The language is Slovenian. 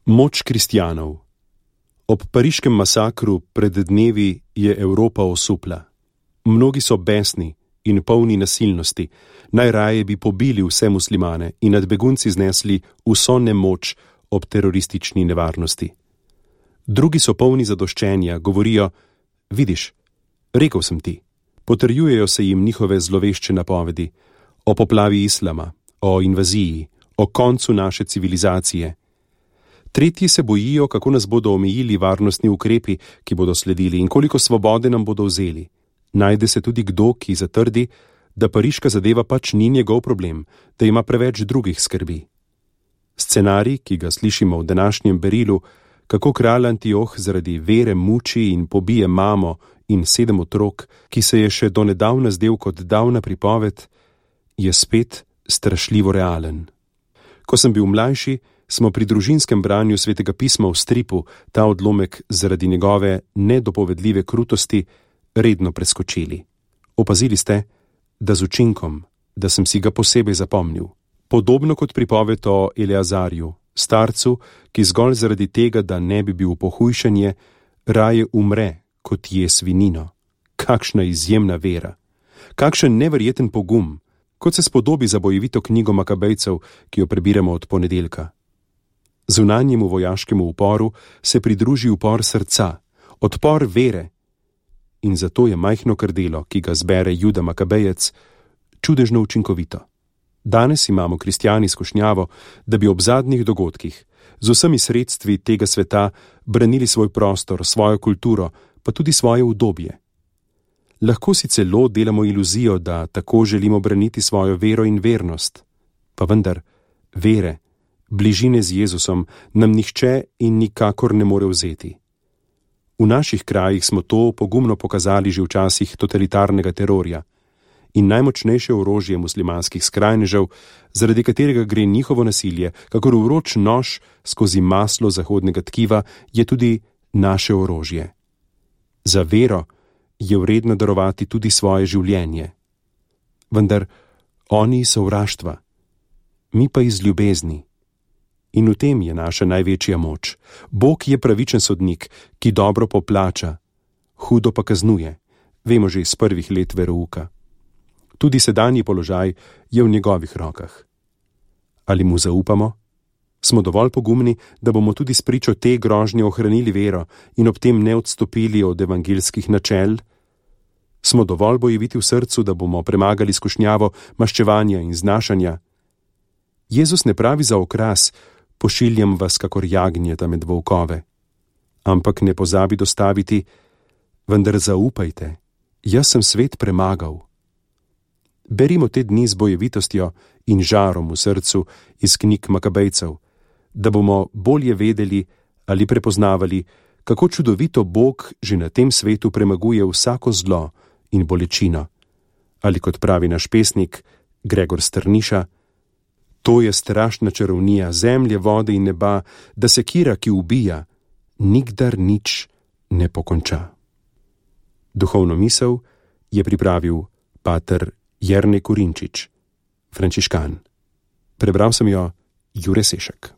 Moč kristjanov. Ob pariškem masakru pred dnevi je Evropa osupla. Mnogi so besni in polni nasilnosti, najraje bi pobili vse muslimane in nad begunci znesli vso nemoč ob teroristični nevarnosti. Drugi so polni zadoščenja, govorijo: vidiš, rekel sem ti. Potrjujejo se jim njihove zlovešče napovedi o poplavi islama, o invaziji, o koncu naše civilizacije. Tretji se bojijo, kako nas bodo omejili varnostni ukrepi, ki bodo sledili, in koliko svobode nam bodo vzeli. Najde se tudi kdo, ki zatrdi, da pariška zadeva pač ni njegov problem, da ima preveč drugih skrbi. Scenarij, ki ga slišimo v današnjem berilu, kako kralj Antioh zaradi vere muči in pobije mamo in 7 otrok, ki se je še donedavna zdel kot davna pripoved, je spet strašljivo realen. Ko sem bil mlajši, smo pri družinskem branju Svetega pisma v stripu ta odlomek zaradi njegove nedopovedljive krutosti redno preskočili. Opazili ste, da z učinkom, da sem si ga posebej zapomnil. Podobno kot pripoved o Eleazarju, starcu, ki zgolj zaradi tega, da ne bi bil pohujšanje, raje umre, kot je svinino. Kakšna izjemna vera! Kakšen neverjeten pogum, kot se spodobi za bojevito knjigo Makabejcev, ki jo prebiramo od ponedeljka. Zunanjemu vojaškemu uporu se pridruži upor srca, odpor vere. In zato je majhno krdelo, ki ga zbere Juda Makabejec, čudežno učinkovito. Danes imamo kristjani skušnjavo, da bi ob zadnjih dogodkih z vsemi sredstvi tega sveta branili svoj prostor, svojo kulturo, pa tudi svoje udobje. Lahko si celo delamo iluzijo, da tako želimo braniti svojo vero in vernost, pa vendar vere, bližine z Jezusom nam nihče in nikakor ne more vzeti. V naših krajih smo to pogumno pokazali že v časih totalitarnega terorja in najmočnejše orožje muslimanskih skrajnežev, zaradi katerega gre njihovo nasilje, kakor vroč nož skozi maslo zahodnega tkiva, je tudi naše orožje. Za vero je vredno darovati tudi svoje življenje. Vendar oni so sovraštva, mi pa iz ljubezni. In v tem je naša največja moč. Bog je pravičen sodnik, ki dobro poplača, hudo pa kaznuje, vemo že iz prvih let verouka. Tudi sedanji položaj je v njegovih rokah. Ali mu zaupamo? Smo dovolj pogumni, da bomo tudi spričo te grožnje ohranili vero in ob tem ne odstopili od evangeljskih načel? Smo dovolj bojeviti v srcu, da bomo premagali skušnjavo maščevanja in znašanja? Jezus ne pravi za okras: pošiljam vas kakor jagnjeta med volkove. Ampak ne pozabi dostaviti: vendar zaupajte, jaz sem svet premagal. Berimo te dni z bojevitostjo in žarom v srcu iz knjig Makabejcev, da bomo bolje vedeli ali prepoznavali, kako čudovito Bog že na tem svetu premaguje vsako zlo in bolečino. Ali kot pravi naš pesnik Gregor Strniša: to je strašna čarovnija zemlje, vode in neba, da sekira, ki ubija, nikdar nič ne pokonča. Duhovno misel je pripravil pater Jernej Kurinčič, frančiškan. Prebral sem jo Jure Sešek.